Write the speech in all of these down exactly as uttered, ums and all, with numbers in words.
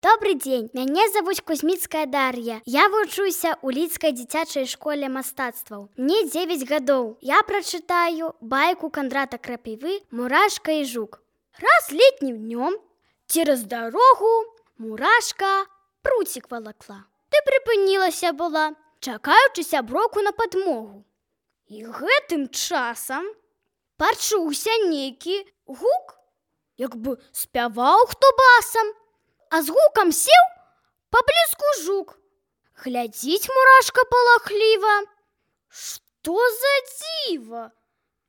Добрый дзень, мяне завуць Кузьміцкая Дар'я. Я вучуся ў Лідскай дзіцячай школе мастацтваў. Мне дзевяць гадоў. Я прачытаю байку Кандрата Крапівы «Мурашка і жук». Раз летнім днём цераз дарогу мурашка пруцік валакла. Ды прыпынілася была, чакаючы сяброўку на падмогу. І гэтым часам пачуўся нейкі гук, як бы спяваў хто басам. А з гукам сеў паблізку жук. Глядзіць мурашка палахліва. Што за дзіва?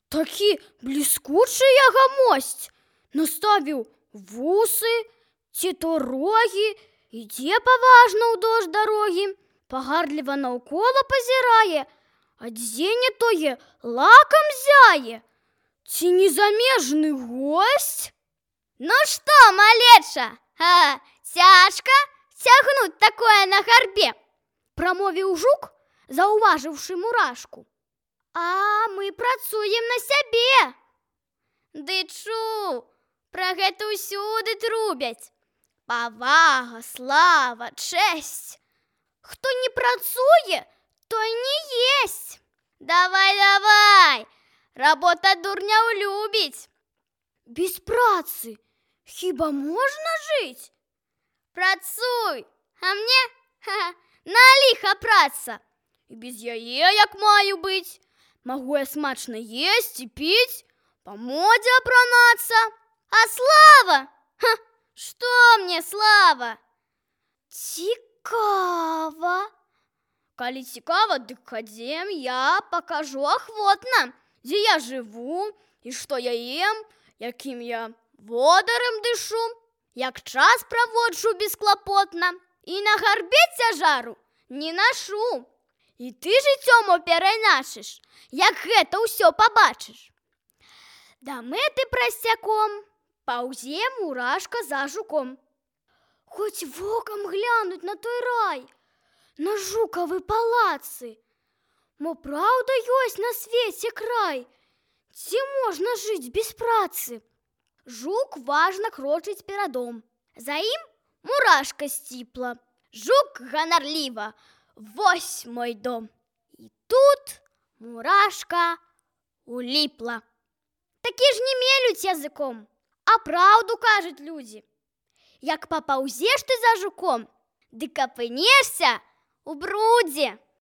Такі бліскучы ягамосць. Наставіў вусы, ці то рогі, ідзе паважна ўдоўж дарогі, пагардліва наўкола пазірае, а дзе не тое лакам зяе. Ці не замежны госць? Ну што, малеча? А, цяжка цягнуць такое на гарбе, прамовіў жук, заўважыўшы мурашку. А мы працуем на сябе. Ды чу, пра гэта ўсюды трубяць. Павага, слава, чэсць. Хто не працуе, той не есць. Давай, давай, работа дурняў любіць. Без працы хіба можна жыць? Працуй, а мне ха, на ліха праца. І без яе як маю быць. Магу я смачна есць і піць, па модзе апранацца. А слава? Ха, што мне слава? Цікава. Калі цікава, дык хадзем, я пакажу ахвотна, дзе я жыву і што я ем, якім я водарам дышу, як час праводжу бесклапотна і на гарбе цяжару не нашу. І ты жыццём перайначыш, як гэта ўсё пабачыш. Да мэты прасцяком паўзе мурашка за жуком. Хоць вокам глянуць на той рай, на жукавы палацы. Мо праўда ёсць на свеце край, ці можна жыць без працы? Жук важна крочыць перадом. За ім мурашка сціпла. Жук ганарліва: вось мой дом. І тут мурашка уліпла. Такі ж не мелюць языком, а праўду кажуць людзі. Як папаўзеш ты за жуком, дык апынешся у брудзе.